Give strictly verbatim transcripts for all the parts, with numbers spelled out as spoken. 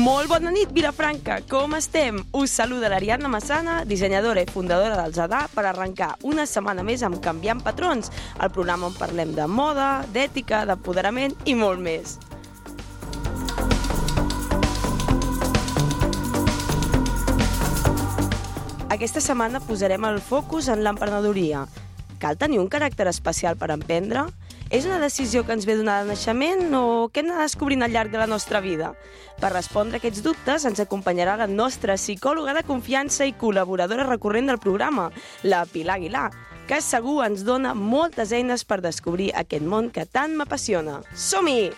Molt bona nit, Vilafranca, com estem? Us saluda l'Ariadna Massana, dissenyadora i fundadora del Zadà, per arrencar una setmana més amb Canviant Patrons, el programa on parlem de moda, d'ètica, d'apoderament i molt més. Aquesta setmana posarem el focus en l'emprenedoria. Cal tenir un caràcter especial per emprendre? És una decisió que ens ve donada de naixement o què hem d'anar descobrint al llarg de la nostra vida? Per respondre a aquests dubtes ens acompanyarà la nostra psicòloga de confiança i col·laboradora recurrent del programa, la Pilar Aguilar, que segur ens dona moltes eines per descobrir aquest món que tant m'apassiona. Som-hi!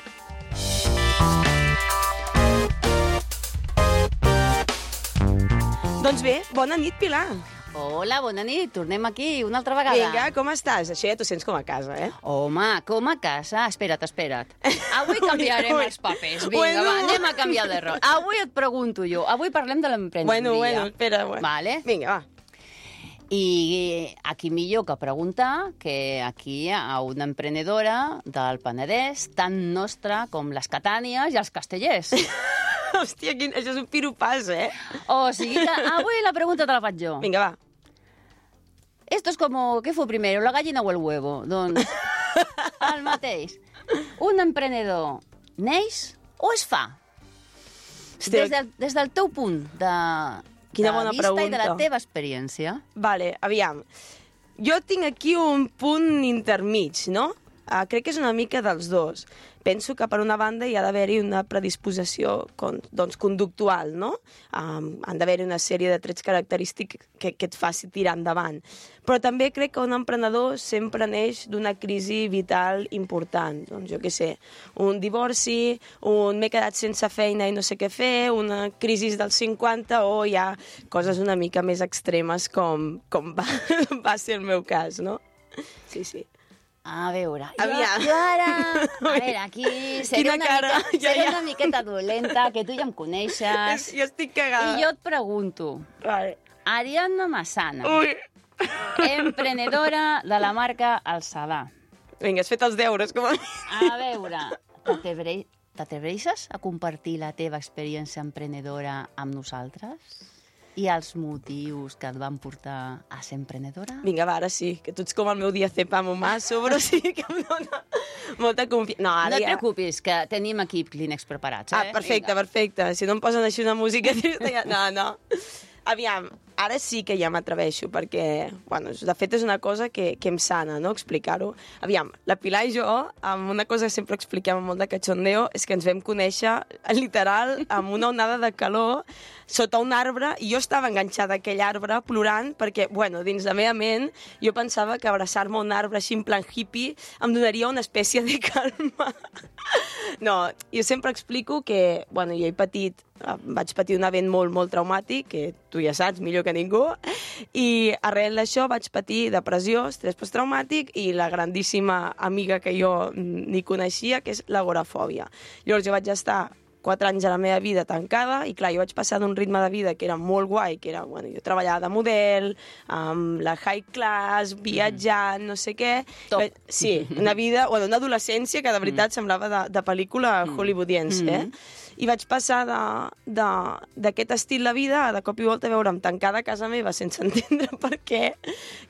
Doncs bé, bona nit, Pilar. Hola, bona nit. Tornem aquí una altra vegada. Vinga, com estàs? Això ja t'ho sents com a casa, eh? Home, com a casa? Espera't, espera't. Avui canviarem els papers. Vinga, Bueno. va, anem a canviar de rol. Avui et pregunto jo. Avui parlem de l'emprenedoria. Bueno, bueno, espera, bueno. Vale. Vinga, va. I aquí millor que preguntar que aquí hi ha una emprenedora del Penedès, tan nostra com les Catànies i els castellers. Hòstia, quin... això és un piropàs, eh? O sigui que avui la pregunta te la faig jo. Vinga, va. Esto es como, ¿qué fue primero, la gallina o el huevo? Doncs, el mateix. Un emprenedor neix o es fa? Hòstia. Des del, des del teu punt de, Quina de bona vista i de la pregunta. teva experiència. Vale, aviam. Jo tinc aquí un punt intermig, no? Uh, crec que és una mica dels dos. Penso que per una banda hi ha d'haver-hi una predisposició con, doncs, conductual, no? Um, han d'haver-hi una sèrie de trets característics que, que et faci tirar endavant. Però també crec que un emprenedor sempre neix d'una crisi vital important. Doncs jo què sé, un divorci, un m'he quedat sense feina i no sé què fer, una crisi dels cinquanta o hi ha coses una mica més extremes com, com va, va ser el meu cas, no? Sí, sí. A veure, jo, Aviam. jo ara... A veure, aquí seré, Quina una, cara, mica, ja, seré ja. una miqueta dolenta, que tu ja em coneixes. Jo estic cagada. I jo et pregunto, Vale. Ariadna Massana, Ui. emprenedora de la marca El Zadà. Vinga, has fet els deures, com a mi. A veure, t'atrebre- t'atreveixes a compartir la teva experiència emprenedora amb nosaltres? I els motius que et van portar a ser emprenedora? Vinga, va, ara sí, que tu ets com el meu diazepam humà, sobre sí que em dona molta confiança. No, ara No et ja... preocupis, que tenim aquí Kleenex preparats, eh? Ah, perfecte, Vinga. perfecte. Si no em posen així una música trista, ja... No, no. Aviam, ara sí que ja m'atreveixo, perquè, bueno, de fet és una cosa que, que em sana, no?, explicar-ho. Aviam, la Pilar i jo, amb una cosa que sempre expliquem amb molt de cachondeo, és que ens vam conèixer, literal, amb una onada de calor, sota un arbre, i jo estava enganxada a aquell arbre plorant perquè, bueno, dins la meva ment jo pensava que abraçar-me a un arbre així en plan hippie em donaria una espècie de calma. No, jo sempre explico que, bueno, jo he patit, vaig patir un event molt, molt traumàtic, que tu ja saps millor que ningú, i arrel d'això vaig patir depressió, estrès posttraumàtic i la grandíssima amiga que jo ni coneixia, que és l'agorafòbia. Llavors jo vaig estar quatre anys de la meva vida tancada i, clar, jo vaig passar d'un ritme de vida que era molt guai, que era, bueno, jo treballava de model, amb la high class, viatjant, no sé què. Top. Sí, una vida, bueno, una adolescència que de veritat semblava de, de pel·lícula hollywoodiense, eh? I vaig passar d'aquest estil de vida a de cop i volta veure'm tancada a casa meva sense entendre per què,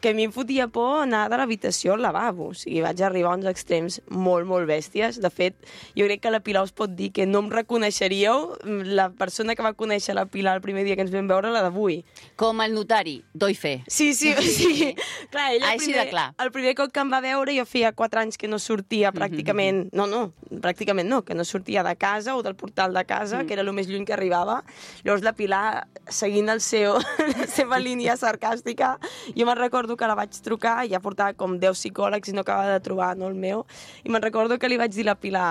que a mi em fotia por anar de l'habitació al lavabo. O sigui, vaig arribar a uns extrems molt, molt bèsties. De fet, jo crec que la Pilar us pot dir que no em reconeixeríeu la persona que va conèixer la Pilar el primer dia que ens vam veure, la d'avui. Com el notari, doy fe. Sí, sí, sí. Clar, ella el Així primer, de clar. el primer cop que em va veure jo feia quatre anys que no sortia pràcticament, no, no, pràcticament no, que no sortia de casa o del portal de casa, mm. que era el més lluny que arribava. Llavors la Pilar, seguint el seu, la seva línia sarcàstica, jo me'n recordo que la vaig trucar, ja portava com deu psicòlegs i no acabava de trobar, no, el meu, i me'n recordo que li vaig dir a la Pilar,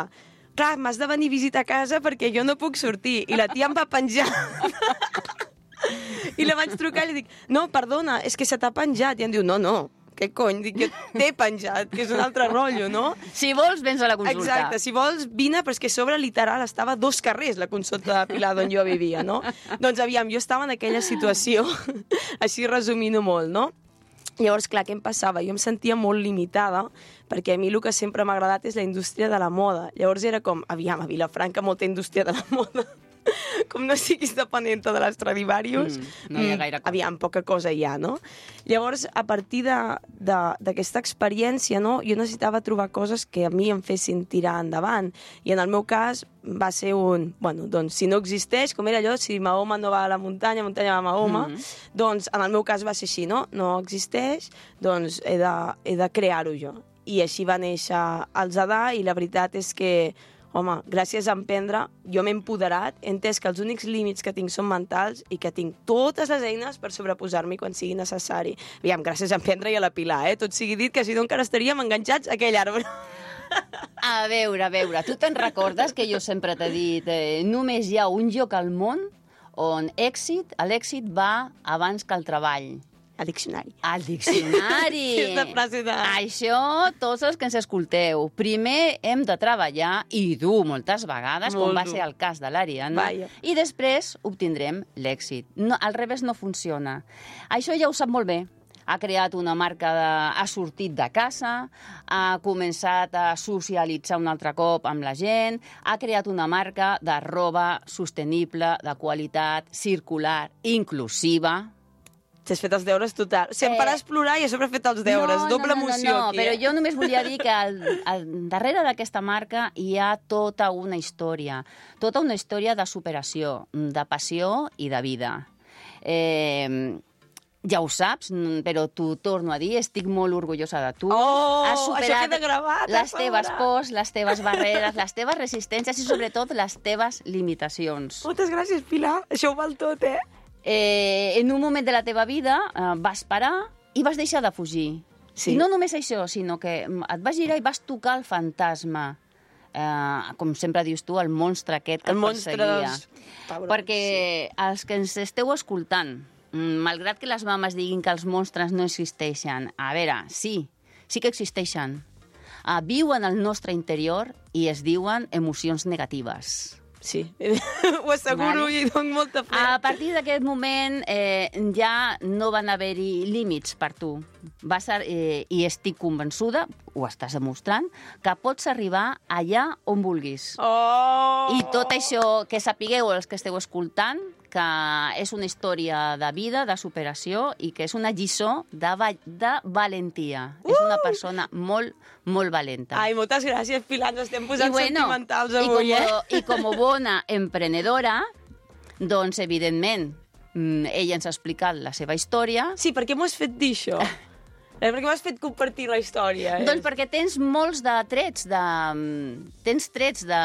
clar, m'has de venir a visitar a casa perquè jo no puc sortir. I la tia em va penjar. I la vaig trucar i li dic, no, perdona, és que se t'ha penjat. I em diu, no, no, què cony? Dic, jo t'he penjat, que és un altre rotllo, no? Si vols, vens a la consulta. Exacte, si vols, vine, però és que a sobre, literal, estava a dos carrers la consulta de Pilar d'on jo vivia, no? Doncs, aviam, jo estava en aquella situació, així resumint-ho molt, no? Llavors, clar, què em passava? Jo em sentia molt limitada, perquè a mi el que sempre m'ha agradat és la indústria de la moda. Llavors era com, aviam, a Vilafranca molta indústria de la moda. com no siguis dependent de l'Stradivarius, Mm, no hi ha gaire cosa. aviam, poca cosa hi ha, no? Llavors, a partir d'aquesta experiència, no, jo necessitava trobar coses que a mi em fessin tirar endavant. I en el meu cas va ser un... Bueno, doncs, si no existeix, com era allò, si Mahoma no va a la muntanya, muntanya va a Mahoma, mm -hmm. doncs, en el meu cas va ser així, no? No existeix, doncs he de, he de crear-ho jo. I així va néixer el Zadà, i la veritat és que, home, gràcies a emprendre, jo m'he empoderat, he entès que els únics límits que tinc són mentals i que tinc totes les eines per sobreposar-m'hi quan sigui necessari. Aviam, gràcies a emprendre i a la Pilar, eh? Tot sigui dit, que si no encara estaríem enganxats a aquell arbre. A veure, a veure, tu te'n recordes que jo sempre t'he dit eh, només hi ha un lloc al món on èxit, l'èxit va abans que el treball. Al diccionari. Al diccionari. Aquesta frase de... Això, tots els que ens escolteu, primer hem de treballar i dur moltes vegades, Molt com va dur. ser el cas de l'Ariadna, Vaja. i després obtindrem l'èxit. No, al revés no funciona. Això ja ho sap molt bé. Ha creat una marca, de, ha sortit de casa, ha començat a socialitzar un altre cop amb la gent, ha creat una marca de roba sostenible, de qualitat, circular, inclusiva. T'has fet els deures total. Si em Eh, faràs plorar i a sobre he fet els deures. No, Doble no, no, emoció no, no, aquí. però eh? jo només volia dir que al, al darrere d'aquesta marca hi ha tota una història, tota una història de superació, de passió i de vida. Eh, ja ho saps, però t'ho torno a dir, estic molt orgullosa de tu. Oh, Has això superat queda gravat, les a teves sobre. pors, les teves barreres, les teves resistències i sobretot les teves limitacions. Moltes gràcies, Pilar. Això ho val tot, eh? Eh, en un moment de la teva vida eh, vas parar i vas deixar de fugir. Sí. I no només això, sinó que mm, et vas girar i vas tocar el fantasma. Eh, com sempre dius tu, el monstre aquest que El et monstre perseguia. dels pebrots, Perquè sí. Els que ens esteu escoltant, mm, malgrat que les mames diguin que els monstres no existeixen, a veure, sí, sí que existeixen. Uh, viuen al nostre interior i es diuen emocions negatives. Sí, ho asseguro, Vale. i dono molta fe. A partir d'aquest moment eh, ja no van haver-hi límits per tu. Vas a, eh, I estic convençuda, ho estàs demostrant, que pots arribar allà on vulguis. Oh! I tot això, que sapigueu els que esteu escoltant, que és una història de vida, de superació, i que és una lliçó de, va de valentia. Uh! És una persona molt, molt valenta. Ai, moltes gràcies, Pilar, ens estem posant I bueno, sentimentals i avui, com, eh? I com a bona emprenedora, doncs, evidentment, mm, ella ens ha explicat la seva història. Sí, per què m'ho has fet dir, això? Eh, per què m'has fet compartir la història? Eh? Doncs perquè tens molts de trets, de, tens trets de...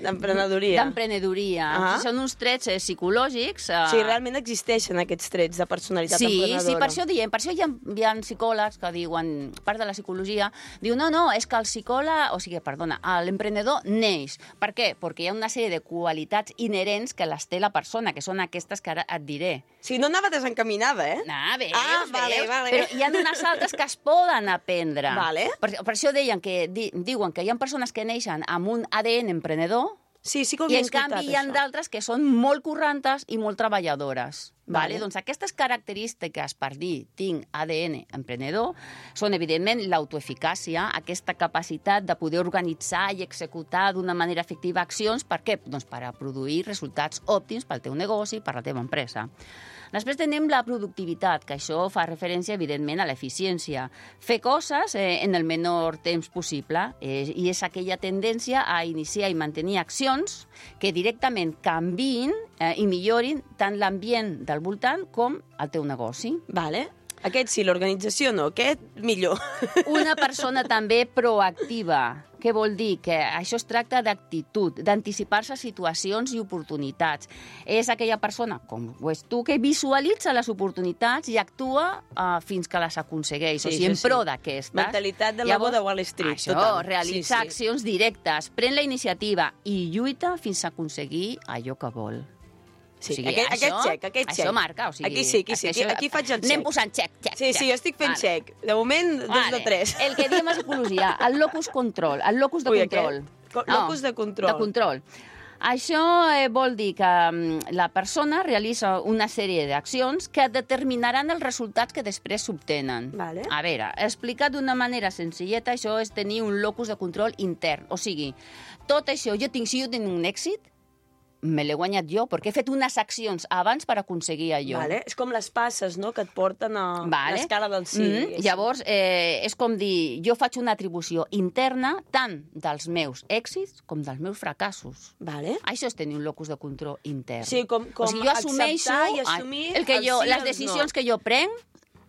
D'emprenedoria. D'emprenedoria. Ah. Són uns trets eh, psicològics. Eh... Sí, realment existeixen aquests trets de personalitat Sí, emprenedora. sí, per això diem, per això hi ha, hi ha psicòlegs que diuen, part de la psicologia, diu, no, no, és que el psicòleg, o sigui, perdona, l'emprenedor neix. Per què? Perquè hi ha una sèrie de qualitats inherents que les té la persona, que són aquestes que ara et diré. Sí, no anava desencaminada, eh? Ah, veus, Ah, vale, veus? vale. Però hi ha unes altres que es poden aprendre. Vale. Per, per això deien que, di, diuen que hi ha persones que neixen amb un A D N emprenedor, Sí, sí que ho i havia en canvi hi ha això. d'altres que són molt correntes i molt treballadores. Vale. Vale? Doncs aquestes característiques per dir tinc A D N emprenedor són, evidentment, l'autoeficàcia, aquesta capacitat de poder organitzar i executar d'una manera efectiva accions. Per què? Doncs per a produir resultats òptims pel teu negoci, per la teva empresa. Després tenim la productivitat, que això fa referència, evidentment, a l'eficiència. Fer coses eh, en el menor temps possible, eh, i és aquella tendència a iniciar i mantenir accions que directament canviïn eh, i millorin tant l'ambient del voltant com el teu negoci. Vale. Aquest sí, l'organització no, aquest millor. Una persona també proactiva. Què vol dir? Que això es tracta d'actitud, d'anticipar-se a situacions i oportunitats. És aquella persona, com ho és tu, que visualitza les oportunitats i actua uh, fins que les aconsegueix. Sí, o sigui, en sí, pro sí. d'aquestes. Mentalitat de lobo de Wall Street, Això, total. realitzar Sí, sí. accions directes, pren la iniciativa i lluita fins a aconseguir allò que vol. Sí, O sigui, aquest, això, aquest xec, aquest xec. Això marca, o sigui... Aquí sí, aquí sí, aquí, això- aquí faig el xec. Anem posant xec, xec, Sí, sí, jo estic fent Vale. xec. De moment, dos Vale. de tres. El que diem a psicologia, el locus control, el locus de Ui, control. aquest? Co- locus de control. De control. Això eh, vol dir que mm, la persona realitza una sèrie d'accions que determinaran els resultats que després s'obtenen. Vale. A veure, explicat d'una manera senzilleta, això és tenir un locus de control intern. O sigui, tot això, jo tinc, si jo tinc un èxit, me l'he guanyat jo, perquè he fet unes accions abans per aconseguir allò. Vale. És com les passes, no?, que et porten a vale. l'escala del sí. Mm, llavors, eh, és com dir, jo faig una atribució interna tant dels meus èxits com dels meus fracassos. Vale. Això és tenir un locus de control intern. Sí, com, com o sigui, jo assumeixo i assumir el que jo, el sí les decisions no. que jo prenc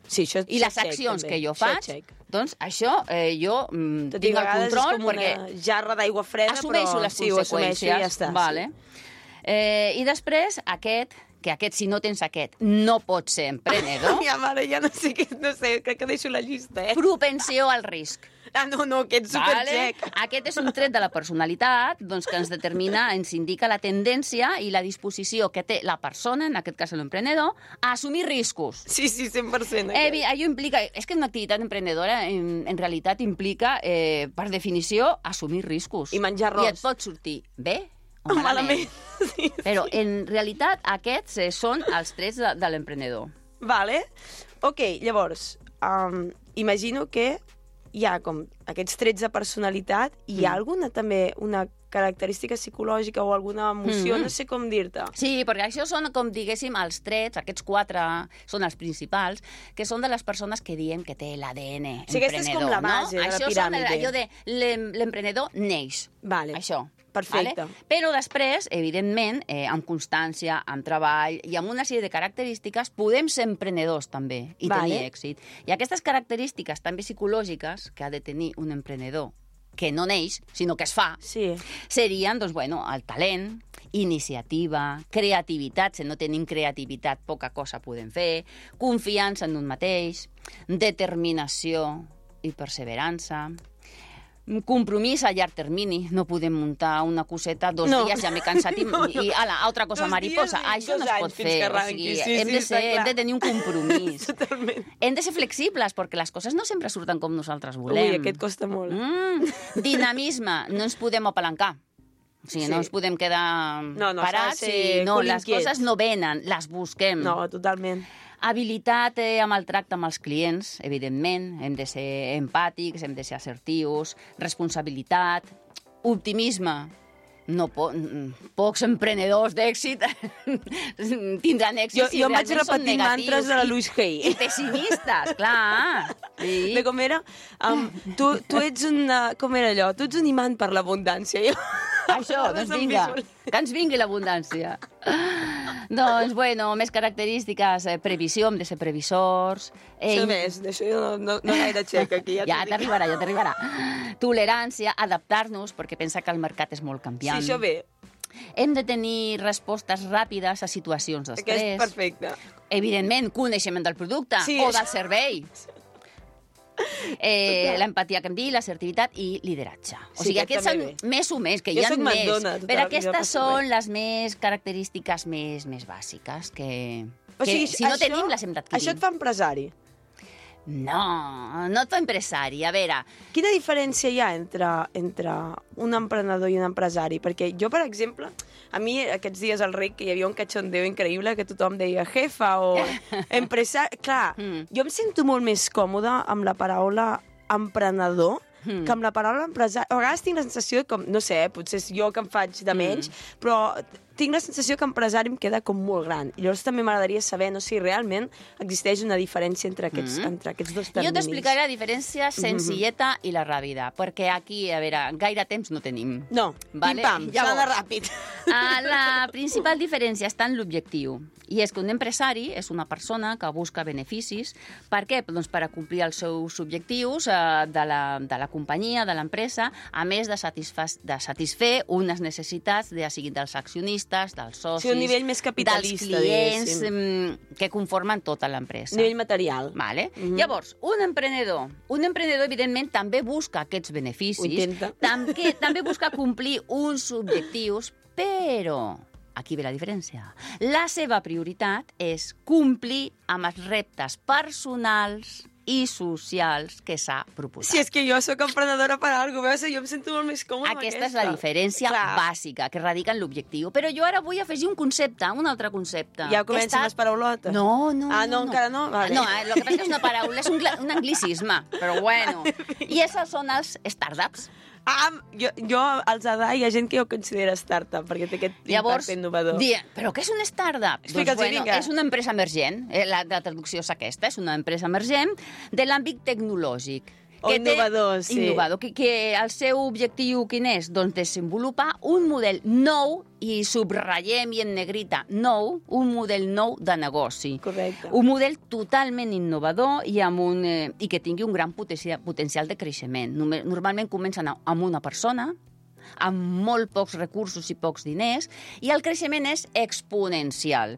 sí, això, i les accions que jo faig, doncs això eh, jo mm, tot tinc el control és com perquè una jarra d'aigua freda, assumeixo però les sí, conseqüències. I ja està. Vale. Sí. Eh, I després, aquest, que aquest, si no tens aquest, no pots ser emprenedor. Ja, mare, ja no sé, què, no sé, crec que deixo la llista, eh? Propensió al risc. Ah, no, no, aquest superxec. Vale? Aquest és un tret de la personalitat doncs, que ens determina, ens indica la tendència i la disposició que té la persona, en aquest cas l'emprenedor, a assumir riscos. Sí, sí, cent per cent. Eh, allò implica... És que una activitat emprenedora en, en realitat implica, eh, per definició, assumir riscos. I menjar arròs. I et pot sortir bé o malament. Sí, sí. Però en realitat aquests eh, són els trets de, de l'emprenedor. Vale. Ok, llavors, um, imagino que hi ha com aquests trets de personalitat i hi ha Mm. alguna també, una característica psicològica o alguna emoció, Mm. no sé com dir-te. Sí, perquè això són, com diguéssim, els trets, aquests quatre són els principals, que són de les persones que diem que té l'A D N Sí, aquesta és com la base no? de la això piràmide. Això són allò de l'em- l'emprenedor neix. Vale. Això. Perfecte. Vale? Però després, evidentment, eh, amb constància, amb treball i amb una sèrie de característiques, podem ser emprenedors també i Vale. tenir èxit. I aquestes característiques també psicològiques que ha de tenir un emprenedor, que no neix, sinó que es fa, Sí. serien, doncs, bueno, el talent, iniciativa, creativitat, si no tenim creativitat, poca cosa podem fer, confiança en un mateix, determinació i perseverança, compromís a llarg termini. No podem muntar una coseta dos No. dies, ja m'he cansat i, No, no. i ala, altra cosa Dos mariposa. dies i Això no dos es pot anys fins fer. que O arranqui. sigui, Sí, hem, sí, de està ser, hem clar. de tenir un compromís. Totalment. Hem de ser flexibles, perquè les coses no sempre surten com nosaltres volem. Ui, aquest costa molt. Mm, dinamisme, no ens podem apalancar. O sigui, Sí. no ens podem quedar No, no, s'ha de parats ser i no, cul les inquiets. coses no venen, les busquem. No, totalment. Habilitat eh, amb el tracte amb els clients, evidentment. Hem de ser empàtics, hem de ser assertius, responsabilitat, optimisme. No po pocs emprenedors d'èxit tindran èxit Jo, si jo em vaig realment són repetir negatius mantres de la i- Louise Hay. I pessimistes, clar. Sí. De com era? Um, tu, tu ets una... Com era allò? Tu ets un imant per l'abundància. Jo... Això, doncs vinga, que ens vingui l'abundància. Doncs, bueno, més característiques, eh, previsió, hem de ser previsors. Eh, Això més, d'això jo no, no, no gaire xec aquí. Ja, ja t'ho dic. t'arribarà, ja t'arribarà. Tolerància, adaptar-nos, perquè pensa que el mercat és molt Sí, canviant. això bé. Hem de tenir respostes ràpides a situacions Aquest és d'estrès. perfecte. Evidentment, coneixement del producte Sí, o això- del servei. Eh, l'empatia que hem dit, l'assertivitat i lideratge. O Sí, sigui, aquest aquests són també bé. més o més, que Jo hi ha soc més. mandona, total, però jo aquestes passo són res. les més característiques més, més bàsiques que, O que sigui, si no això- tenim les hem d'adquirir. Això et fa empresari. No, no et fa empresari. A veure, Quina diferència hi ha entre, entre un emprenedor i un empresari? Perquè jo, per exemple, a mi aquests dies al R I C que hi havia un cachondeo increïble que tothom deia jefa o empresari... Clar, Mm. jo em sento molt més còmoda amb la paraula emprenedor Mm. que amb la paraula empresari. A vegades tinc la sensació com, no sé, potser és jo que em faig de menys, però tinc la sensació que empresari em queda com molt gran. I llavors també m'agradaria saber, no sé, si realment existeix una diferència entre aquests, Mm. entre aquests dos jo terminis. t'explicaré la diferència senzilleta i la ràpida, perquè aquí, a veure, gaire temps no tenim. No, Vale, pim-pam, s'ha llavors. d'anar ràpid. Ah, la principal diferència està en l'objectiu. I és que un empresari és una persona que busca beneficis. Per què? Doncs per a complir els seus objectius eh, de, la, de la companyia, de l'empresa, a més de, satisfa de satisfer unes necessitats, ja sigui dels accionistes, dels socis, Sí, un nivell més capitalista, dels clients diguéssim. mm, que conformen tota l'empresa. Nivell material. Vale? Mhm. Llavors, un emprenedor, un emprenedor, evidentment, també busca aquests beneficis, Ho intenta. també, també busca complir uns objectius, però aquí ve la diferència. La seva prioritat és complir amb els reptes personals i socials que s'ha proposat. Si és que jo sóc emprenedora per alguna cosa, jo em sento molt més còmoda amb Aquesta aquesta. és la diferència Clar. bàsica, que radica en l'objectiu. Però jo ara vull afegir un concepte, un altre concepte. Ja que comencen està- les paraulotes. No, no, Ah, no, no, encara no? Vale. No, eh, el que passa és que és una paraula, és un, gla- un anglicisme, però bueno. I esses són els startups. Ah, jo, jo als A D A hi ha gent que ho considera startup, perquè té aquest Llavors, impacte innovador. Di, però què és una startup? Explica'ls, Doncs, bueno, vinga. és una empresa emergent. Eh, La, la traducció és aquesta, és una empresa emergent de l'àmbit tecnològic. O que té- innovador, sí. Innovador, que, que el seu objectiu quin és? Doncs desenvolupar un model nou, i subratllem i en negrita nou, un model nou de negoci. Correcte. Un model totalment innovador i, amb un, eh, i que tingui un gran potencial, potencial de creixement. Norma- Normalment comencen a- amb una persona, amb molt pocs recursos i pocs diners, i el creixement és exponencial.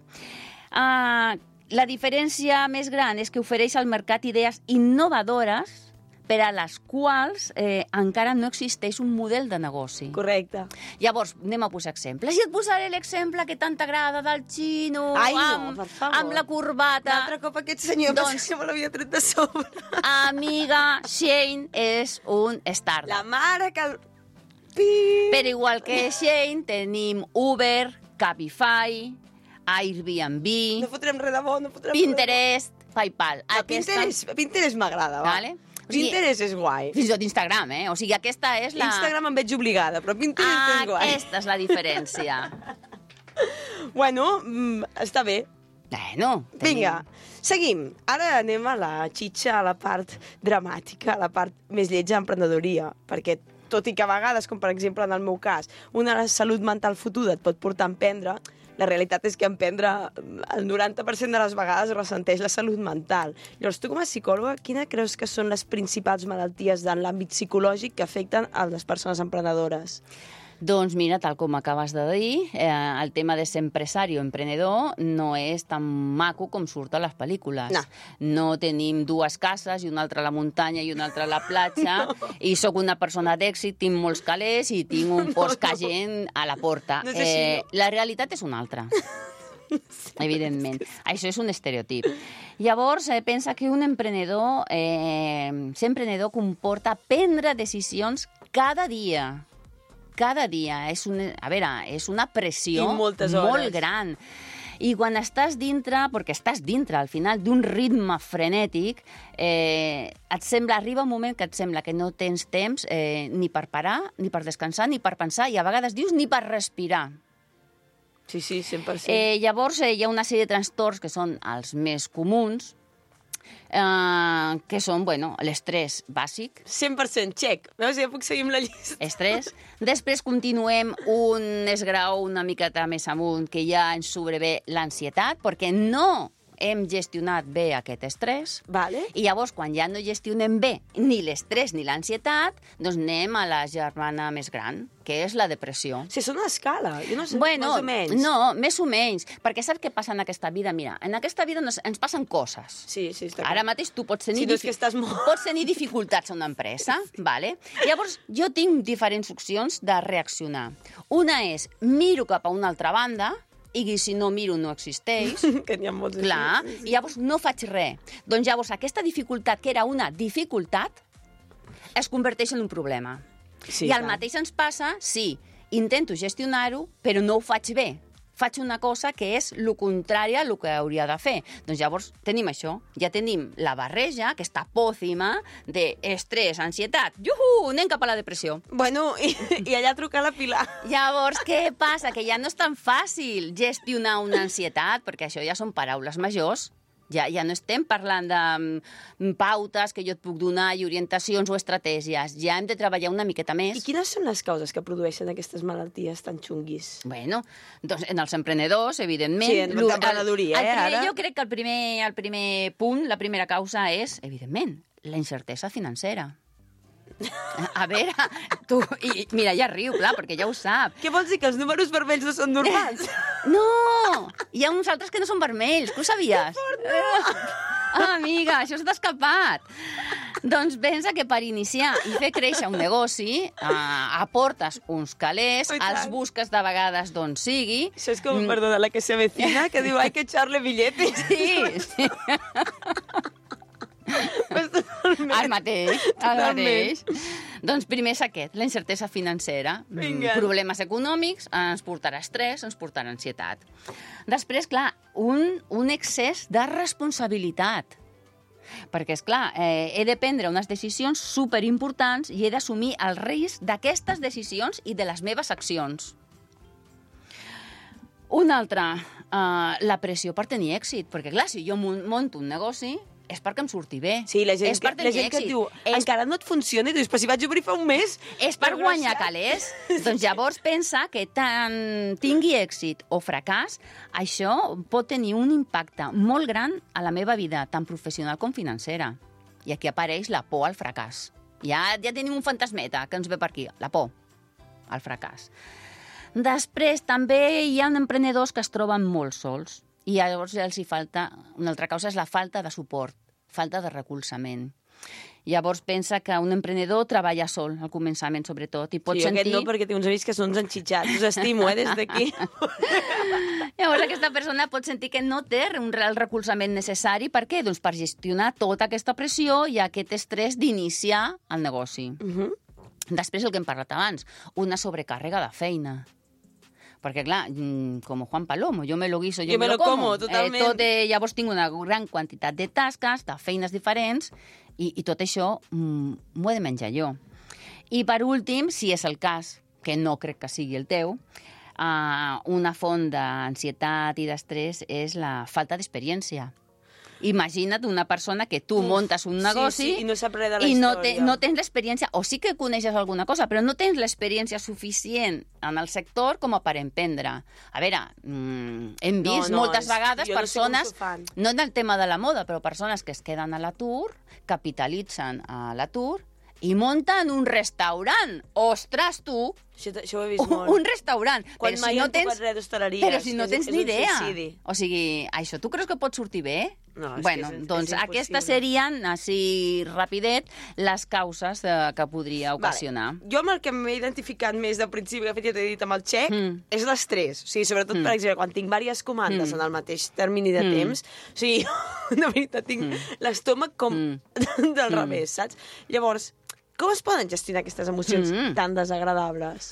Uh, la diferència més gran és que ofereix al mercat idees innovadores per a les quals eh, encara no existeix un model de negoci. Correcte. Llavors, anem a posar exemples. I et posaré l'exemple que tant t'agrada del xino, Ai, no, amb, per favor. amb la corbata. L'altre cop aquest senyor Doncs- doncs... que me l'havia tret de sobre. Amiga, Shane és un startup. La mare que... El... Pi... Però igual que Shane, tenim Uber, Cabify, Airbnb, No fotrem res de bo, no fotrem Pinterest, PayPal. res de bo. Pinterest, Pinterest m'agrada, va. Vale? O sigui, Pinterest és guai. Fins i tot Instagram, eh? O sigui, aquesta és la... Instagram em veig obligada, però Pinterest és guai. Aquesta és la diferència. Bueno, mm, està bé. Bueno, tenim... Vinga, seguim. Ara anem a la xitxa, a la part dramàtica, a la part més lletja d'emprenedoria, perquè tot i que a vegades, com per exemple en el meu cas, una salut mental fotuda et pot portar a emprendre, la realitat és que emprendre el noranta per cent de les vegades ressenteix la salut mental. Llavors, tu com a psicòloga, quina creus que són les principals malalties en l'àmbit psicològic que afecten a les persones emprenedores? Doncs mira, tal com acabes de dir, eh, el tema de ser empresari o emprenedor no és tan maco com surt a les pel·lícules. No. No tenim dues cases i una altra a la muntanya i una altra a la platja, no. I sóc una persona d'èxit, tinc molts calés i tinc un No, post no. cagent a la porta. No és així, eh, no. La realitat és una altra. Evidentment. Això és un estereotip. Llavors, eh, pensa que un emprenedor, eh, ser emprenedor comporta prendre decisions cada dia. Cada dia. És una, a veure, és una pressió I moltes hores. molt gran. I quan estàs dintre, perquè estàs dintre al final d'un ritme frenètic, eh, et sembla, arriba un moment que et sembla que no tens temps eh, ni per parar, ni per descansar, ni per pensar, i a vegades dius ni per respirar. Sí, sí, cent per cent. Eh, llavors, eh, hi ha una sèrie de trastorns que són els més comuns, eh, que són, bueno, l'estrès bàsic, cent per cent, check. Veus, ja puc seguir amb la llista. estrès. Després continuem un esgraó una miqueta més amunt, que ja ens sobrevé l'ansietat, perquè no hem gestionat bé aquest estrès. Vale. I llavors, quan ja no gestionem bé ni l'estrès ni l'ansietat, doncs anem a la germana més gran, que és la depressió. Si és una escala, jo no sé, Bueno, més o menys. no, més o menys, perquè saps què passa en aquesta vida? Mira, en aquesta vida nos, ens passen coses. Sí, sí, està Ara clar. mateix tu pots tenir, Si no és difi- que estàs molt- pots tenir dificultats a una empresa, vale? Llavors jo tinc diferents opcions de reaccionar. Una és miro cap a una altra banda, i si no miro no existeix, Que n'hi ha molts així. clar, Sí, sí. i llavors no faig res. Doncs llavors aquesta dificultat, que era una dificultat, es converteix en un problema. Sí, I el clar. mateix ens passa si intento gestionar-ho, però no ho faig bé. Faig una cosa que és el contrari al que hauria de fer. Doncs llavors tenim això. Ja tenim la barreja, aquesta pòcima d'estrès, ansietat. Juhu! Anem cap a la depressió. Bueno, i, i allà trucar la Pilar. Llavors, què passa? Que ja no és tan fàcil gestionar una ansietat, perquè això ja són paraules majors. Ja, ja no estem parlant de mm, pautes que jo et puc donar i orientacions o estratègies. Ja hem de treballar una miqueta més. I quines són les causes que produeixen aquestes malalties tan xunguis? Bueno, doncs en els emprenedors, evidentment... Sí, en Lo- l'emprenedoria, el, el eh, primer, ara. Jo crec que el primer, el primer punt, la primera causa és, evidentment, la incertesa financera. A veure, tu... I, mira, ja riu, clar, perquè ja ho sap. Què vols dir, que els números vermells no són normals? No! Hi ha uns altres que no són vermells, que ho sabies? Ah, amiga, això s'ha escapat. Doncs pensa que per iniciar i fer créixer un negoci eh, aportes uns calés, Oh, i tant. els busques de vegades d'on sigui. Això és com, perdona, la que se avecina, que diu, hay que echarle billetes. Sí, sí. Pues totalment. El mateix, el Totalment. mateix. Doncs primer és aquest, la incertesa financera. Vinga. Mm, Problemes econòmics ens portarà estrès, ens portarà ansietat. Després, clar, un, un excés de responsabilitat. Perquè, és clar, eh, he de prendre unes decisions superimportants i he d'assumir el risc d'aquestes decisions i de les meves accions. Una altra, eh, la pressió per tenir èxit. Perquè, clar, si jo monto un negoci, és perquè em surti bé. Sí, la gent, és per que, la gent que et diu, és... encara no et funciona, i tu dius, però si vaig obrir fa un mes... És per guanyar calés. Doncs llavors pensa que tant tingui èxit o fracàs, això pot tenir un impacte molt gran a la meva vida, tant professional com financera. I aquí apareix la por al fracàs. Ja, ja tenim un fantasmeta que ens ve per aquí, la por al fracàs. Després, també hi ha emprenedors que es troben molt sols. I llavors els hi falta, una altra causa és la falta de suport, falta de recolzament. Llavors pensa que un emprenedor treballa sol, al començament sobretot, i pot sí, sentir... Sí, aquest no, perquè té uns amics que són uns enxitxats. Us estimo, eh, des d'aquí. Llavors aquesta persona pot sentir que no té un real recolzament necessari. Per què? Doncs per gestionar tota aquesta pressió i aquest estrès d'iniciar el negoci. Uh-huh. Després, el que hem parlat abans, una sobrecàrrega de feina. Perquè, clar, com Juan Palomo, jo me lo guiso, jo, jo me, me lo como. como totalment. Eh, tot, eh, llavors tinc una gran quantitat de tasques, de feines diferents, i, i tot això mm, m'ho he de menjar jo. I, per últim, si és el cas, que no crec que sigui el teu, uh, una font d'ansietat i d'estrès és la falta d'experiència. Imagina't una persona que tu Uf, muntes un negoci sí, sí, i no sap res de la i història. no, te, no tens l'experiència, o sí que coneixes alguna cosa, però no tens l'experiència suficient en el sector com a per emprendre. A veure, mmm, hem vist no, no, moltes és, vegades persones, no, no en el tema de la moda, però persones que es queden a l'atur, capitalitzen a l'atur i munten un restaurant. Ostres, tu! Això, això ho he vist molt. Un restaurant. Quan però mai si no hem tens... tocat res d'hostaleria. Però si no és, tens és ni idea. Suïcidi. O sigui, això tu creus que pot sortir bé? No, és bueno, que és, doncs és aquestes serien, així rapidet, les causes eh, que podria ocasionar. Vale. Jo amb el que m'he identificat més del principi, que fet ja t'he dit amb el xec, mm. és l'estrès. O sigui, sobretot, mm. per exemple, quan tinc diverses comandes mm. en el mateix termini de mm. temps, o sigui, de veritat, tinc mm. l'estómac com mm. del mm. revés, saps? Llavors, com es poden gestionar aquestes emocions mm. tan desagradables?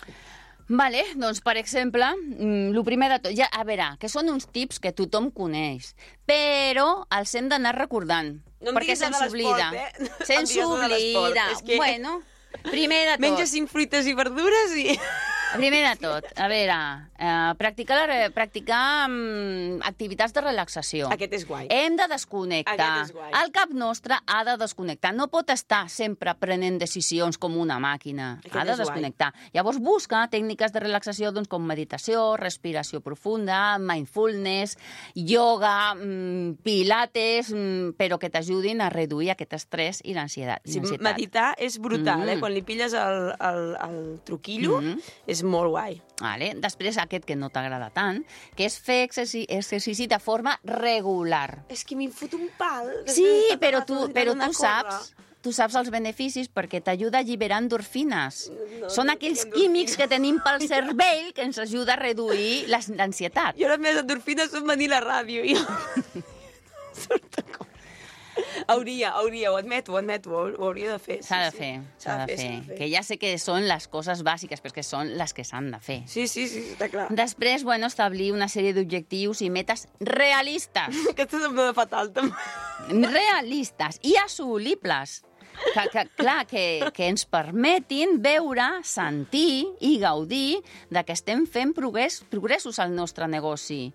Vale, doncs, per exemple, el primer de tot, ja, a veure, que són uns tips que tothom coneix, però els hem d'anar recordant, no perquè se'ns oblida. Eh? Se'ns oblida. Que... Bueno, primer de tot... Menja cinc fruites i verdures i... Primer de tot, a veure, eh, practicar, practicar um, activitats de relaxació. Aquest és guai. Hem de desconnectar. Aquest és guai. El cap nostre ha de desconnectar. No pot estar sempre prenent decisions com una màquina. Aquest ha de desconnectar. Guai. Llavors busca tècniques de relaxació doncs, com meditació, respiració profunda, mindfulness, yoga, mm, pilates, mm, però que t'ajudin a reduir aquest estrès i l'ansietat. Sí, meditar és brutal, mm. eh? Quan li pilles el, el, el truquillo, mm. és molt guai. Vale. Després, aquest que no t'agrada tant, que és fer exercici, exercici de forma regular. És que m'hi fot un pal. Sí, però tu, però tu saps... Tu saps els beneficis perquè t'ajuda a alliberar endorfines. No, Són no aquells químics que tenim pel cervell que ens ajuda a reduir l'ansietat. I ara les endorfines són venir a la ràdio. I... Hauria, hauria, ho admeto, ho admeto, ho hauria de fer. S'ha sí, de fer, sí. s'ha de, de, de fer. Que ja sé que són les coses bàsiques, però que són les que s'han de fer. Sí, sí, sí, està clar. Després, bueno, establir una sèrie d'objectius i metes realistes. Aquesta se'm va fatal, també. Realistes i assolibles. Que, que, clar, que, que ens permetin veure, sentir i gaudir de que estem fent progrés, progressos al nostre negoci.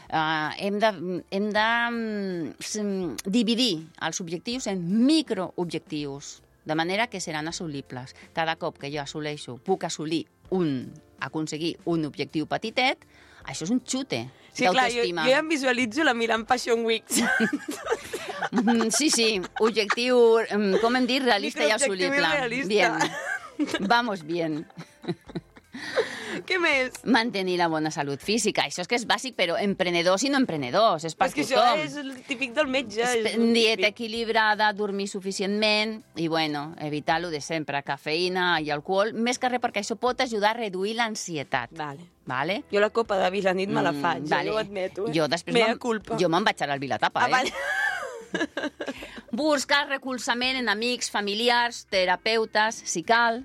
Uh, hem de, hem de um, dividir els objectius en microobjectius, de manera que seran assolibles. Cada cop que jo assoleixo, puc assolir un, aconseguir un objectiu petitet, això és un xute sí, d'autoestima. Clar, jo, jo ja em visualitzo la Milan Fashion Week. Sí, sí, objectiu, com hem dit, realista i assolible. Realista. Bien, vamos bien. Què més? Mantenir la bona salut física. Això és que és bàsic, però emprenedors i no emprenedors. És per és que tothom. Això és el típic del metge. És dieta equilibrada, dormir suficientment i, bueno, evitar lo de sempre, cafeïna i alcohol, més que res perquè això pot ajudar a reduir l'ansietat. Vale. Vale? Jo la copa de vi la nit me la faig, mm, vale. Jo ho admeto. Eh? Jo després Mea culpa. Jo me'n vaig anar al Vilatapa, ah, eh? Vale. Buscar recolzament en amics, familiars, terapeutes, si cal.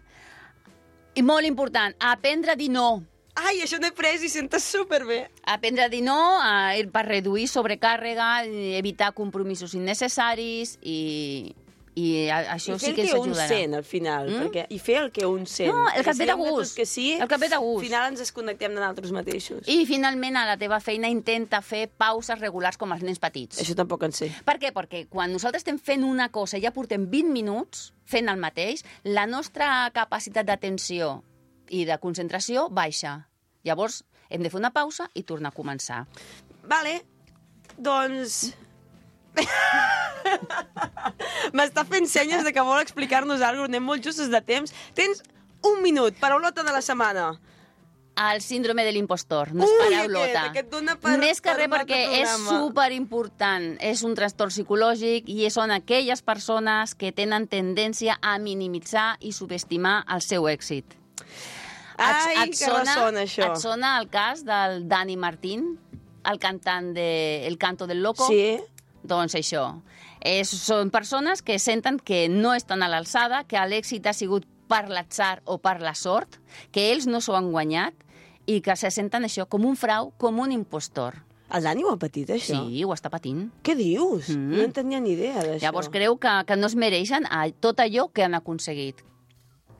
I molt important, aprendre a dir no. ai, això n'he pres i sentes superbé. Aprendre a dir no, a, per reduir sobrecàrrega, evitar compromisos innecessaris i, i a, això sí que ens ajudarà. I fer el que un sent, al final. Mm? Perquè, I fer el que un sent. No, el que et ve de gust. Que sí, el que et ve de gust. Al final ens desconnectem de nosaltres mateixos. I finalment a la teva feina intenta fer pauses regulars com els nens petits. Això tampoc en sé. Per què? Perquè quan nosaltres estem fent una cosa i ja portem vint minuts fent el mateix, la nostra capacitat d'atenció i de concentració baixa. Llavors hem de fer una pausa i tornar a començar. Vale, doncs... M'està fent senyes de que vol explicar-nos alguna cosa, anem molt justos de temps. Tens un minut, paraulota de la setmana. El síndrome de l'impostor, no és paraulota. Ui, aquest, aquest per, Més que per res perquè és superimportant. És un trastorn psicològic i són aquelles persones que tenen tendència a minimitzar i subestimar el seu èxit. Ai, et, et que sona, ressona això. Et sona el cas del Dani Martín, el cantant de El Canto del Loco? Sí. Doncs això. És, són persones que senten que no estan a l'alçada, que l'èxit ha sigut per l'atzar o per la sort, que ells no s'ho han guanyat i que se senten això com un frau, com un impostor. El Dani ho ha patit, això? Sí, ho està patint. Què dius? Mm. No en tenia ni idea d'això. Llavors creu que, que no es mereixen tot allò que han aconseguit.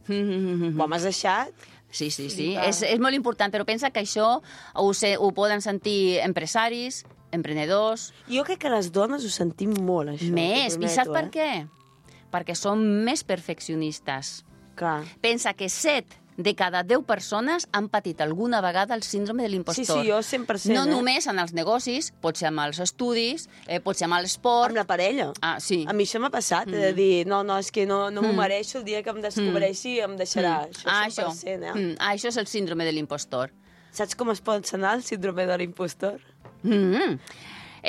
Ho m'has deixat? Sí, sí, sí. És, és molt important, però pensa que això ho, sé, ho poden sentir empresaris, emprenedors... Jo crec que les dones ho sentim molt, això. Més, i saps eh? per què? Perquè som més perfeccionistes. Clar. Pensa que set de cada deu persones han patit alguna vegada el síndrome de l'impostor. Sí, sí, jo cent per cent. No eh? només en els negocis, pot ser amb els estudis, eh, pot ser amb l'esport... Amb la parella. Ah, sí. A mi això m'ha passat, mm. de dir, no, no, és que no, no m'ho mm. mereixo, el dia que em descobreixi em deixarà. Mm. Això cent per cent, ah, eh? Mm. Ah, això és el síndrome de l'impostor. Saps com es pot sanar el síndrome de l'impostor? Mm.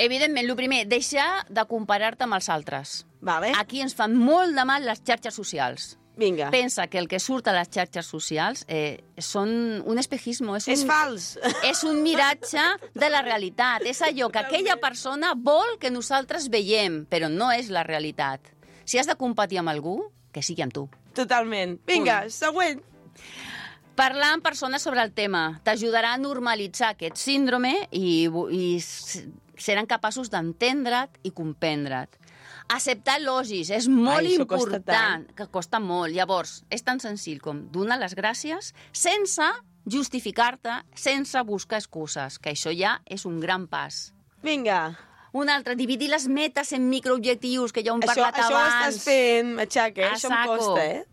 Evidentment, el primer, deixar de comparar-te amb els altres. Vale. Aquí ens fan molt de mal les xarxes socials. Vinga. Pensa que el que surt a les xarxes socials eh, són un espejisme. És, un, és fals. És un miratge de la realitat. És allò que aquella persona vol que nosaltres veiem, però no és la realitat. Si has de competir amb algú, que sigui amb tu. Totalment. Vinga, Punt. següent. Parlar amb persones sobre el tema t'ajudarà a normalitzar aquest síndrome i, i seran capaços d'entendre't i comprendre't. Acceptar elogis és molt Ai, important, costa que costa molt. Llavors, és tan senzill com donar les gràcies sense justificar-te, sense buscar excuses, que això ja és un gran pas. Vinga. Un altre, dividir les metes en microobjectius, que ja ho hem això, parlat això abans. Això ho estàs fent, Matxaca, eh? Això em costa, eh?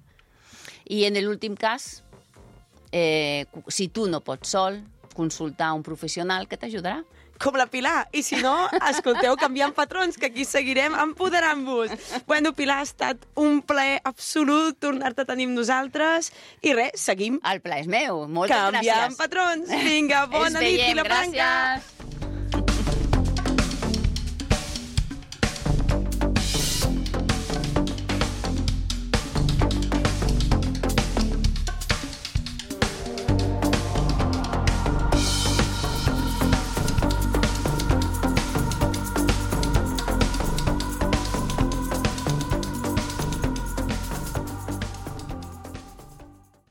I en l'últim cas, eh, si tu no pots sol, consultar un professional que t'ajudarà. Com la Pilar. I si no, escolteu Canviant Patrons, que aquí seguirem empoderant-vos. Bueno, Pilar, ha estat un plaer absolut tornar-te a tenir amb nosaltres. I res, seguim. El plaer és meu. Moltes Canviant gràcies. Patrons. Vinga, bona nit i la branca. Gràcies.